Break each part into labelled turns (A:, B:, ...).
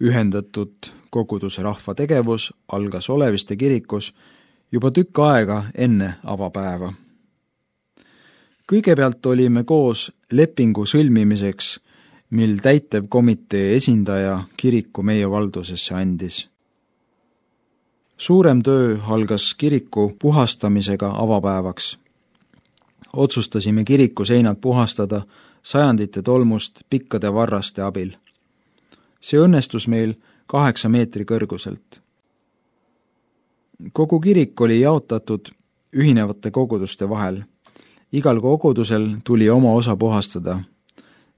A: Ühendatud koguduse rahva tegevus algas Oleviste kirikus juba tükk aega enne avapäeva. Kõigepealt olime koos lepingu sõlmimiseks, mil täitevkomitee esindaja kiriku meie valdusesse andis. Suurem töö algas kiriku puhastamisega avapäevaks. Otsustasime kiriku seinad puhastada sajandite tolmust pikkade varraste abil. See õnnestus meil 8 meetri kõrguselt. Kogu kirik oli jaotatud ühinevate koguduste vahel. Igal kogudusel tuli oma osa puhastada.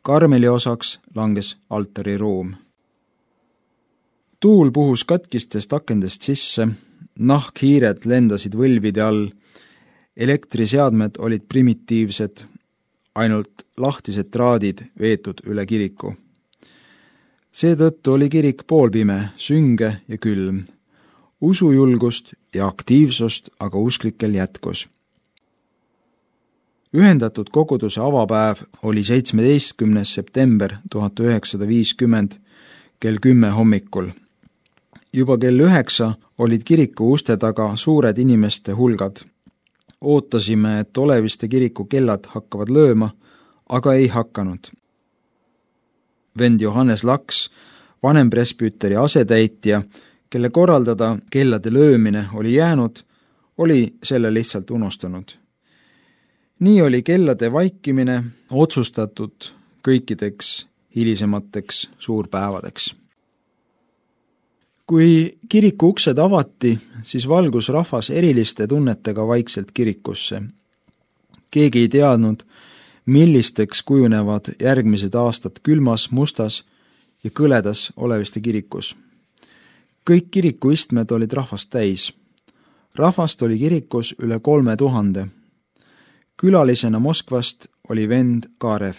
A: Karmeli osaks langes altariruum. Tuul puhus katkistest akendest sisse, nahkhiired lendasid võlvide all, elektriseadmed olid primitiivsed, ainult lahtised traadid veetud üle kiriku. Seetõttu oli kirik poolpime, sünge ja külm. Usujulgust ja aktiivsust aga usklikel jätkus. Ühendatud koguduse avapäev oli 17. september 1950 kell 10 hommikul. Juba kell 9 olid kiriku uste taga suured inimeste hulgad. Ootasime, et Oleviste kiriku kellad hakkavad lööma, aga ei hakanud. Vend Johannes Laks, vanempresbüteri asetäitja, kelle korraldada kellade löömine oli jäänud, oli selle lihtsalt unustanud. Nii oli kellade vaikimine otsustatud kõikideks hilisemateks suurpäevadeks. Kui kiriku uksed avati, siis valgus rahvas eriliste tunnetega vaikselt kirikusse. Keegi ei teadnud, millisteks kujunevad järgmised aastad külmas, mustas ja kõledas Oleviste kirikus. Kõik kirikuistmed olid rahvast täis. Rahvast oli kirikus üle 3000. Külalisena Moskvast oli vend Kaarev.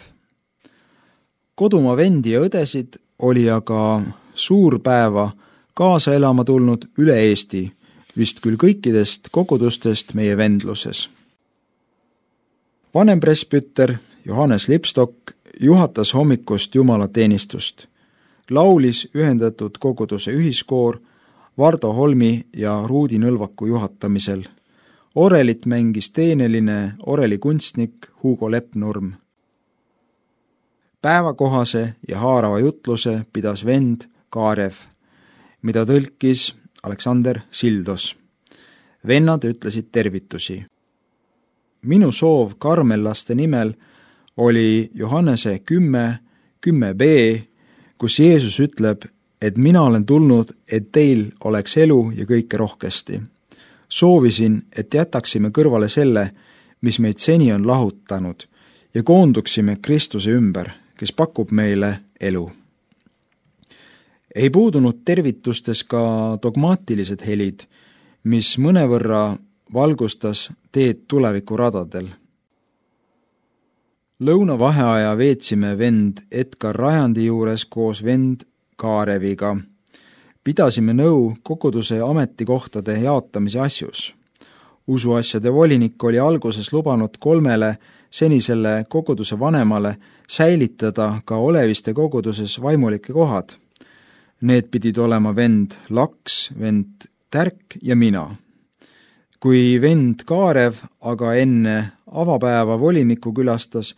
A: Kodumaa vendi ja õdesid oli aga suurpäeva kaasa elama tulnud üle Eesti, vist küll kõikidest kogudustest meie vendluses. Vanempresbüter Johannes Lipstok juhatas hommikust jumalateenistust. Laulis ühendatud koguduse ühiskoor Vardo Holmi ja Ruudi Nõlvaku juhatamisel. Orelit mängis teeneline orelikunstnik Hugo Leppnurm. Päevakohase ja haarava jutluse pidas vend Kaarev, mida tõlkis Aleksander Sildos. Vennad ütlesid tervitusi. Minu soov karmellaste nimel oli Johannese 10b, kus Jeesus ütleb, et mina olen tulnud, et teil oleks elu ja kõike rohkesti. Soovisin, et jätaksime kõrvale selle, mis meid seni on lahutanud, ja koonduksime Kristuse ümber, kes pakub meile elu. Ei puudunud tervitustes ka dogmaatilised helid, mis mõnevõrra valgustas teed tulevikuradadel. Lõunavaheaja veetsime vend Edgar Rajandi juures koos vend Kaareviga. Pidasime nõu koguduse ametikohtade jaotamise asjus. Usuasjade volinik oli alguses lubanud 3 senisele koguduse vanemale säilitada ka Oleviste koguduses vaimulike kohad. Need pidid olema vend Laks, vend Tärk ja mina. Kui vend Kaarev aga enne avapäeva volinikku külastas,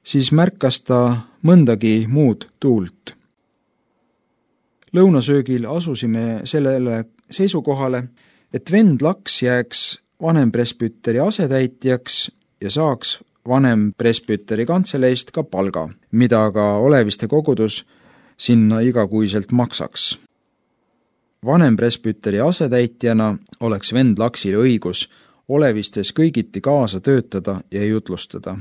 A: siis märkas ta mõndagi muud tuult. Lõunasöögil asusime sellele seisukohale, et vend Laks jääks vanempresbüteri asetäitjaks ja saaks vanempresbüteri kantseleist ka palga, mida ka Oleviste kogudus sinna igakuiselt maksaks. Vanempresbüteri asetäitjana oleks vend Laksil õigus Olevistes kõigiti kaasa töötada ja jutlustada.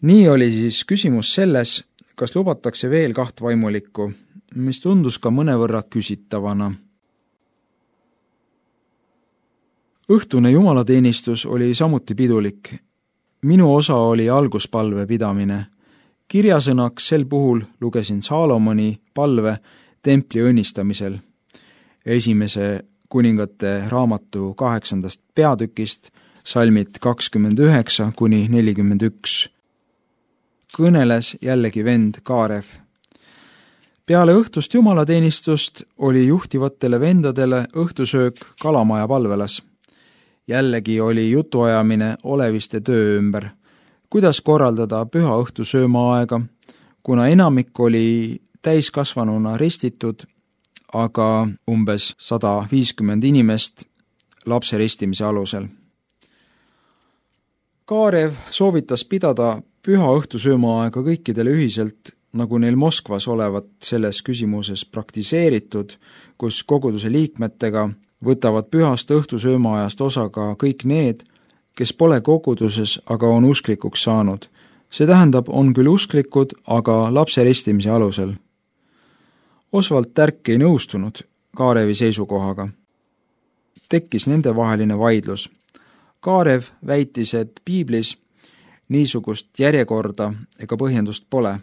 A: Nii oli siis küsimus selles, kas lubatakse veel 2 vaimulikku, mis tundus ka mõnevõrra küsitavana. Õhtune jumalateenistus oli samuti pidulik. Minu osa oli alguspalve pidamine. Kirjasõnaks sel puhul lugesin Saalomoni palve templi õnnistamisel. Esimese kuningate raamatu 8. peatükist, salmid 29 kuni 41. Kõneles jällegi vend Kaarev. Peale õhtust jumalateenistust oli juhtivatele vendadele õhtusöök kalamaja palvelas. Jällegi oli jutuajamine oleviste töö ümber, kuidas korraldada püha õhtu söömaaega, kuna enamik oli täiskasvanuna ristitud, aga umbes 150 inimest lapse ristimise alusel. Kaarev soovitas pidada püha õhtu söömaaega kõikidele ühiselt, nagu neil Moskvas olevat selles küsimuses praktiseeritud, kus koguduse liikmetega võtavad pühast õhtu söömaajast osa ka kõik need, kes pole koguduses, aga on usklikuks saanud. See tähendab, on küll usklikud, aga lapse ristimise alusel. Oswald Tärk ei nõustunud Kaarevi seisukohaga. Tekkis nendevaheline vaidlus. Kaarev väitis, et piiblis niisugust järjekorda ega põhjendust pole.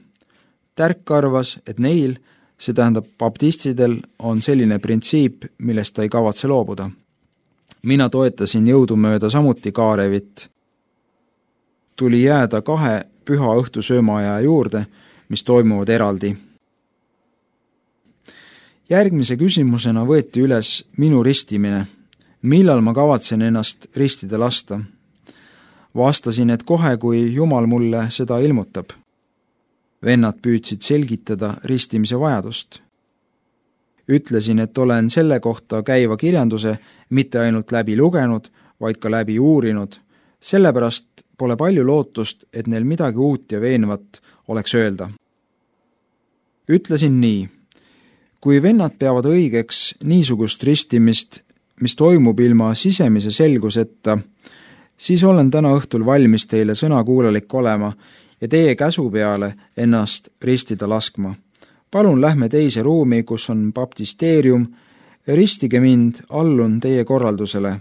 A: Tärk arvas, et neil, see tähendab baptistidel, on selline printsiip, millest ta ei kavatse loobuda. Mina toetasin jõudumööda samuti Kaarevit. Tuli jääda 2 püha õhtu söömaaja juurde, mis toimuvad eraldi. Järgmise küsimusena võeti üles minu ristimine. Millal ma kavatsen ennast ristida lasta? Vastasin, et kohe, kui Jumal mulle seda ilmutab. Vennad püüdsid selgitada ristimise vajadust. Ütlesin, et olen selle kohta käiva kirjanduse mitte ainult läbi lugenud, vaid ka läbi uurinud. Sellepärast pole palju lootust, et neil midagi uut ja veenvat oleks öelda. Ütlesin nii. Kui vennad peavad õigeks niisugust ristimist, mis toimub ilma sisemise selguseta, siis olen täna õhtul valmis teile sõnakuulalik olema ja teie käsu peale ennast ristida laskma. Palun lähme teise ruumi, kus on baptisteerium, ristige mind, allun teie korraldusele.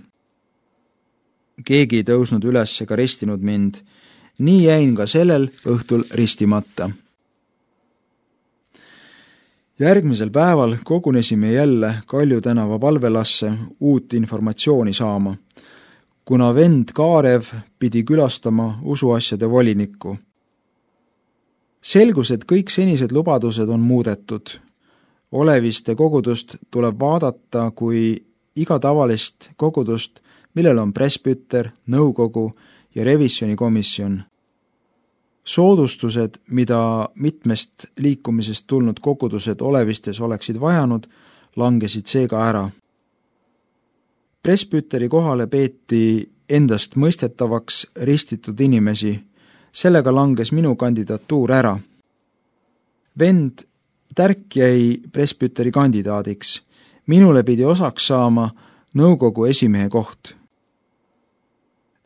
A: Keegi ei tõusnud üles ega ristinud mind. Nii jäin ka sellel õhtul ristimata. Järgmisel päeval kogunesime jälle Kalju tänava palvelasse uut informatsiooni saama, kuna vend Kaarev pidi külastama usuasjade volinikku. Selgus, et kõik senised lubadused on muudetud. Oleviste kogudust tuleb vaadata kui iga tavalist kogudust, millel on presbüter, nõukogu ja revisjonikomisjon. Soodustused, mida mitmest liikumisest tulnud kogudused olevistes oleksid vajanud, langesid seega ära. Presbüteri kohale peeti endast mõistetavaks ristitud inimesi, sellega langes minu kandidatuur ära. Vend Tärk jäi presbüteri kandidaadiks. Minule pidi osaks saama nõukogu esimehe koht.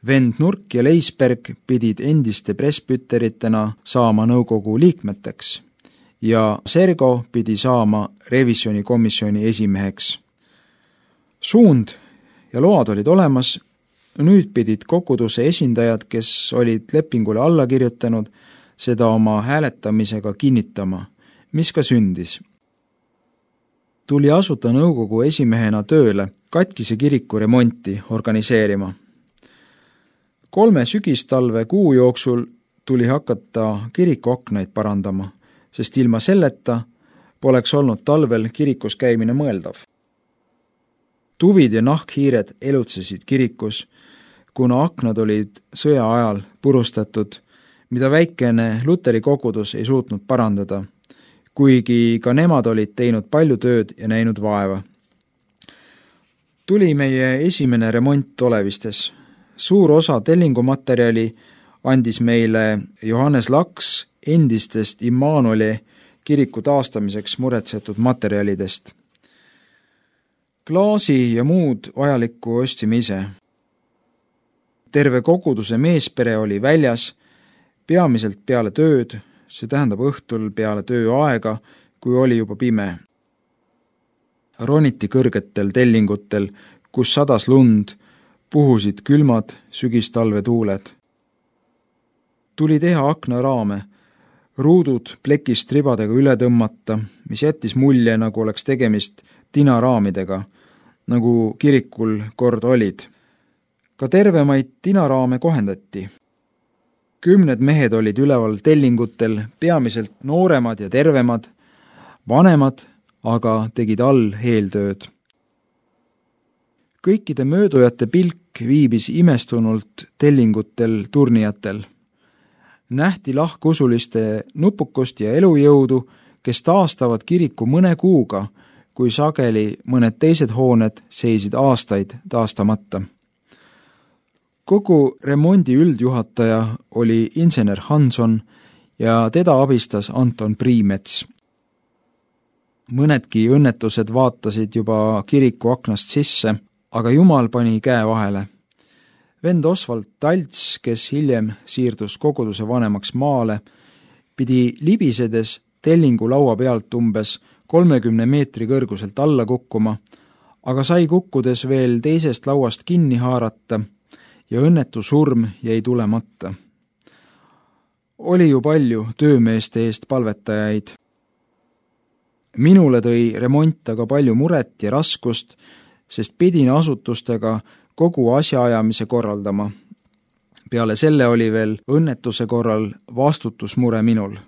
A: Vend Nurk ja Leisberg pidid endiste presbüteritena saama nõukogu liikmeteks ja Sergo pidi saama revisjonikomisjoni esimeheks. Suund ja load olid olemas, nüüd pidid koguduse esindajad, kes olid lepingule alla kirjutanud, seda oma hääletamisega kinnitama, mis ka sündis. Tuli asuta nõukogu esimehena tööle katkise kiriku remonti organiseerima. 3 sügistalve kuu jooksul tuli hakata kiriku aknaid parandama, sest ilma selleta poleks olnud talvel kirikus käimine mõeldav. Tuvid ja nahkhiired elutsesid kirikus, kuna aknad olid sõja ajal purustatud, mida väikene Luteri kogudus ei suutnud parandada, kuigi ka nemad olid teinud palju tööd ja näinud vaeva. Tuli meie esimene remont olevistes. Suur osa tellingumaterjali andis meile Johannes Laks endistest Immanueli kiriku taastamiseks muretsetud materjalidest. Klaasi ja muud vajalikku ostsime ise. Terve koguduse meespere oli väljas, peamiselt peale tööd, see tähendab õhtul peale tööaega, kui oli juba pime. Roniti kõrgetel tellingutel, kus sadas lund, puhusid külmad sügistalve tuuled. Tuli teha aknaraame, ruudud plekist ribadega üle tõmmata, mis jättis mulje, nagu oleks tegemist tinaraamidega, nagu kirikul kord olid. Ka tervemaid tinaraame kohendati. 10 mehed olid üleval tellingutel, peamiselt nooremad ja tervemad, Vanemad aga tegid all eeltööd. Kõikide möödujate pilk viibis imestunult tellingutel turnijatel. Nähti lahkusuliste nupukust ja elujõudu, kes taastavad kiriku mõne kuuga, kui sageli mõned teised hooned seisid aastaid taastamata. Kogu remondi üldjuhataja oli insener Hanson ja teda abistas Anton Priimets. Mõnedki õnnetused vaatasid juba kiriku aknast sisse, aga Jumal pani käe vahele. Vend Osvald Talts, kes hiljem siirdus koguduse vanemaks maale, pidi libisedes tellingu laua pealt umbes 30 meetri kõrguselt alla kukkuma, aga sai kukkudes veel teisest lauast kinni haarata ja õnnetu surm jäi tulemata. Oli ju palju töömeeste eest palvetajaid. Minule tõi remont aga palju muret ja raskust, sest pidin asutustega kogu asjaajamise korraldama. Peale selle oli veel õnnetuse korral vastutusmure minul.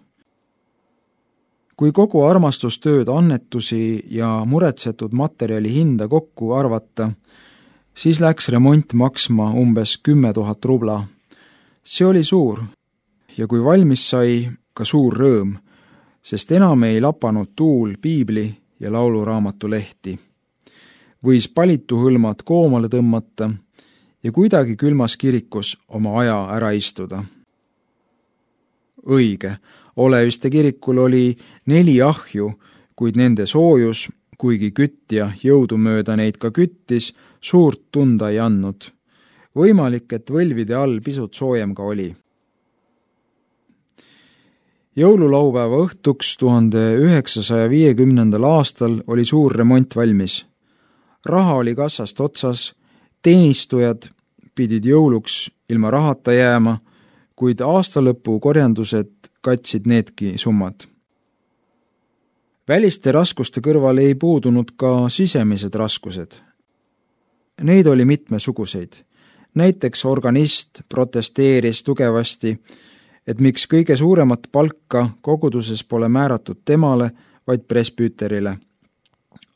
A: Kui kogu armastustööd, annetusi ja muretsetud materjali hinda kokku arvata, siis läks remont maksma umbes 10 000 rubla. See oli suur ja kui valmis sai, ka suur rõõm, sest enam ei lapanud tuul piibli ja lauluraamatu lehti. Võis palituhõlmad koomale tõmmata ja kuidagi külmas kirikus oma aja ära istuda. Õige, Oleviste kirikul oli 4 ahju, kuid nende soojus, kuigi kütja jõudumööda neid ka küttis, suurt tunda ei andnud. Võimalik, et võlvide all pisut soojem ka oli. Jõululaupäeva õhtuks 1950. aastal oli suur remont valmis. Raha oli kassast otsas, teenistujad pidid jõuluks ilma rahata jääma, kuid aastalõpu korjandused katsid needki summad. Väliste raskuste kõrval ei puudunud ka sisemised raskused. Neid oli mitmesuguseid. Näiteks organist protesteeris tugevasti, et miks kõige suuremat palka koguduses pole määratud temale, vaid presbüüterile.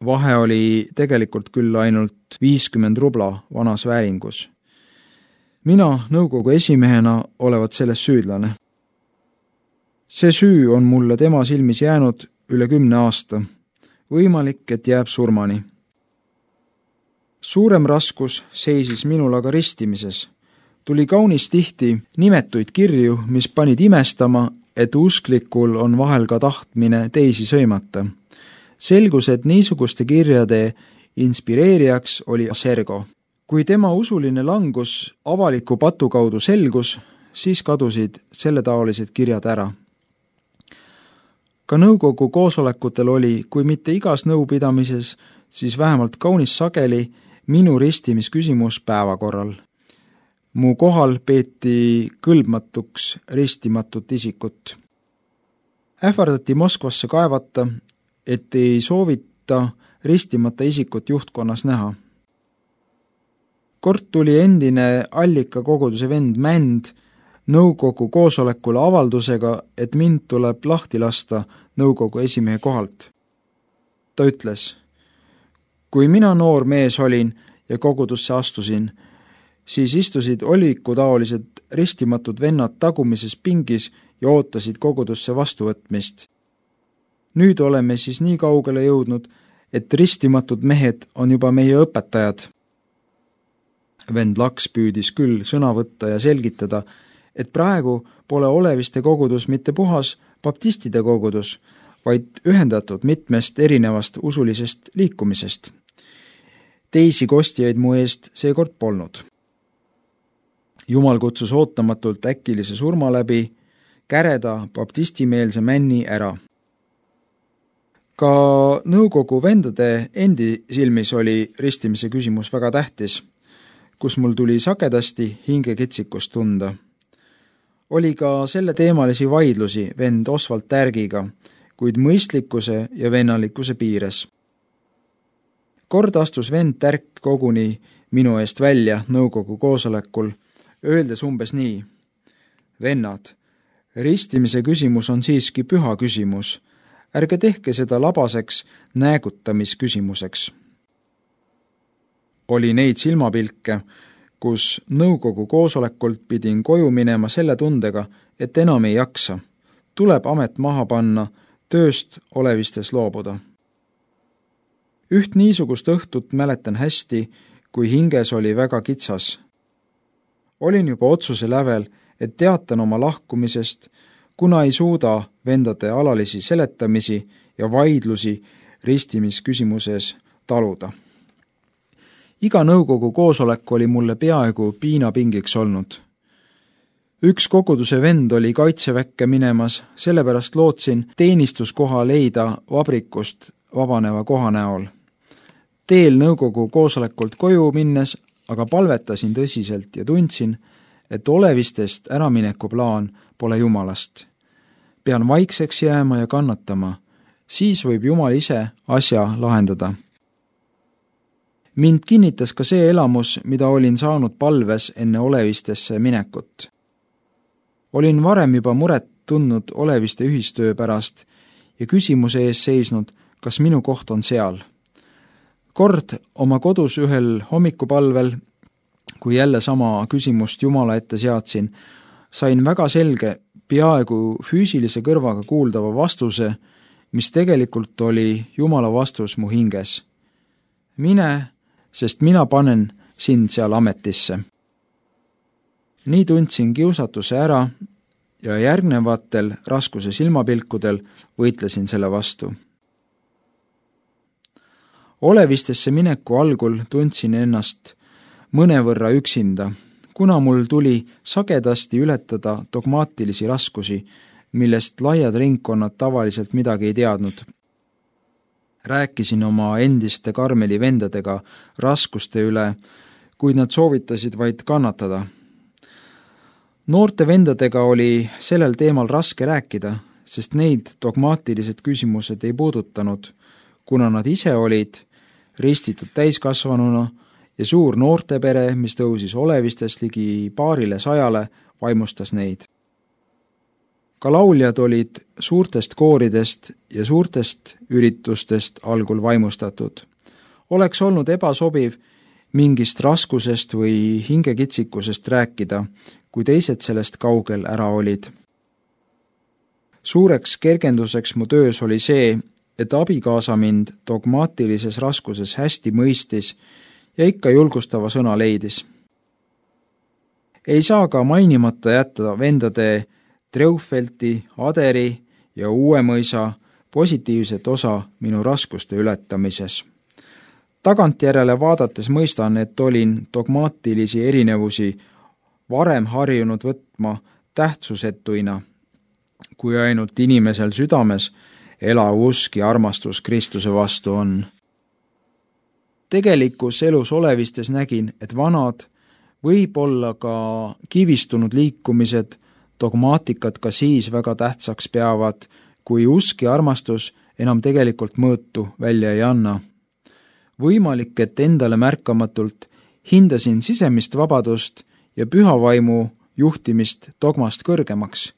A: Vahe oli tegelikult küll ainult 50 rubla vanas vääringus. Mina nõukogu esimehena olevat selles süüdlane. See süü on mulle tema silmis jäänud üle 10 aasta. Võimalik, et jääb surmani. Suurem raskus seisis minul aga ristimises. Tuli kaunis tihti nimetuid kirju, mis panid imestama, et usklikul on vahel ka tahtmine teisi sõimata. Selgus, et niisuguste kirjade inspireerijaks oli Sergo. Kui tema usuline langus avaliku patu kaudu selgus, siis kadusid selletaolised kirjad ära. Ka nõukogu koosolekutel oli, kui mitte igas nõupidamises, siis vähemalt kaunis sageli minu ristimisküsimus päevakorral. Mu kohal peeti kõlbmatuks ristimatut isikut. Ähvardati Moskvasse kaevata, et ei soovita ristimata isikut juhtkonnas näha. Kord tuli endine Allika koguduse vend Mänd nõukogu koosolekule avaldusega, et mind tuleb lahti lasta nõukogu esimehe kohalt. Ta ütles, kui mina noor mees olin ja kogudusse astusin, siis istusid olikutaolised ristimatud vennad tagumises pingis ja ootasid kogudusse vastuvõtmist. Nüüd oleme siis nii kaugele jõudnud, et ristimatud mehed on juba meie õpetajad. Vend Laks püüdis küll sõna võtta ja selgitada, et praegu pole Oleviste kogudus mitte puhas baptistide kogudus, vaid ühendatud mitmest erinevast usulisest liikumisest. Teisi kostjaid mu eest seekord polnud. Jumal kutsus ootamatult äkilise surma läbi, käreda baptistimeelse männi ära. Ka nõukogu vendade endi silmis oli ristimise küsimus väga tähtis, kus mul tuli sagedasti hingekitsikust tunda. Oli ka selle teemalisi vaidlusi vend Osvald Tärgiga, kuid mõistlikkuse ja vennalikkuse piires. Kord astus vend Tärk koguni minu eest välja nõukogu koosolekul, öeldes umbes nii. Vennad, ristimise küsimus on siiski püha küsimus. ärge tehke seda labaseks näägutamisküsimuseks. Oli neid silmapilke, kus nõukogu koosolekult pidin koju minema selle tundega, et enam ei jaksa. Tuleb amet maha panna, tööst olevistes loobuda. Üht niisugust õhtut mäletan hästi, kui hinges oli väga kitsas. Olin juba otsuse lävel, et teatan oma lahkumisest, kuna ei suuda vendade alalisi seletamisi ja vaidlusi ristimisküsimuses taluda. Iga nõukogu koosolek oli mulle peaaegu piinapingiks olnud. Üks koguduse vend oli kaitseväkke minemas, sellepärast lootsin teenistuskoha leida vabrikust vabaneva koha näol. Teel nõukogu koosolekult koju minnes aga palvetasin tõsiselt ja tundsin, et olevistest äramineku plaan pole Jumalast. Pean vaikseks jääma ja kannatama, siis võib Jumal ise asja lahendada. Mind kinnitas ka see elamus, mida olin saanud palves enne olevistesse minekut. Olin varem juba muret tundnud oleviste ühistöö pärast ja küsimuse ees seisnud, kas minu koht on seal. Kord oma kodus ühel hommikupalvel, kui jälle sama küsimust Jumala ette seadsin, sain väga selge, peaaegu füüsilise kõrvaga kuuldava vastuse, mis tegelikult oli Jumala vastus mu hinges. Mine, sest mina panen sind seal ametisse. Nii tundsin kiusatuse ära ja järgnevatel raskuse silmapilkudel võitlesin selle vastu. Olevistesse mineku algul tundsin ennast mõnevõrra üksinda, kuna mul tuli sagedasti ületada dogmaatilisi raskusi, millest laiad ringkonnad tavaliselt midagi ei teadnud. Rääkisin oma endiste Karmeli vendadega raskuste üle, kuid nad soovitasid vaid kannatada. Noorte vendadega oli sellel teemal raske rääkida, sest neid dogmaatilised küsimused ei puudutanud, kuna nad ise olid ristitud täiskasvanuna ja suur noortepere, mis tõusis olevistest ligi 200, vaimustas neid. Ka lauljad olid suurtest kooridest ja suurtest üritustest algul vaimustatud. Oleks olnud ebasobiv mingist raskusest või hingekitsikusest rääkida, kui teised sellest kaugel ära olid. Suureks kergenduseks mu töös oli see, et abikaasa mind dogmaatilises raskuses hästi mõistis ja ikka julgustava sõna leidis. Ei saa ka mainimata jätta vendade Treufelti, Aderi ja Uuemõisa positiivset osa minu raskuste ületamises. Tagantjärele vaadates mõistan, et olin dogmaatilisi erinevusi varem harjunud võtma tähtsusetuina, kui ainult inimesel südames elav usk ja armastus Kristuse vastu on. Tegelikus elus olevistes nägin, et vanad, võib-olla ka kivistunud liikumised, dogmaatikat ka siis väga tähtsaks peavad, kui usk ja armastus enam tegelikult mõõtu välja ei anna. Võimalik, et endale märkamatult hindasin sisemist vabadust ja pühavaimu juhtimist dogmast kõrgemaks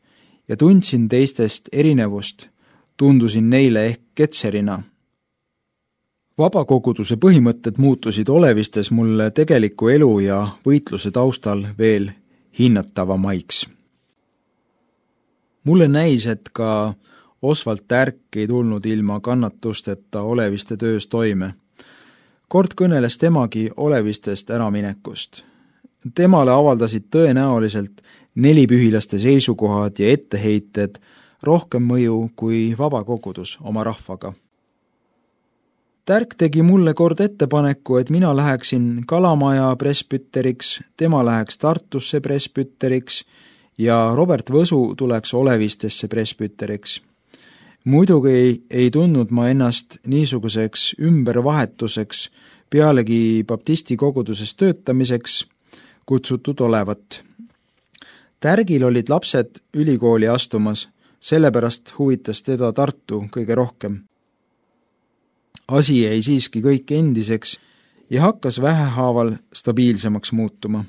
A: ja tundsin teistest erinevust, tundusin neile ehk ketserina. Vabakoguduse põhimõtted muutusid olevistes mulle tegeliku elu ja võitluse taustal veel hinnatavamaiks. Mulle näis, et ka Osvald Tärk ei tulnud ilma kannatusteta oleviste töös toime. Kord kõneles temagi olevistest äraminekust. Temale avaldasid tõenäoliselt nelipühilaste seisukohad ja etteheited rohkem mõju kui vabakogudus oma rahvaga. Tärk tegi mulle kord ettepaneku, et mina läheksin Kalamaja presbüteriks, tema läheks Tartusse presbüteriks ja Robert Võsu tuleks olevistesse presbüteriks. Muidugi ei tundnud ma ennast niisuguseks ümbervahetuseks pealegi baptisti koguduses töötamiseks kutsutud olevat. Tärgil olid lapsed ülikooli astumas, sellepärast huvitas teda Tartu kõige rohkem. Asi jäi siiski kõik endiseks ja hakkas vähehaaval stabiilsemaks muutuma.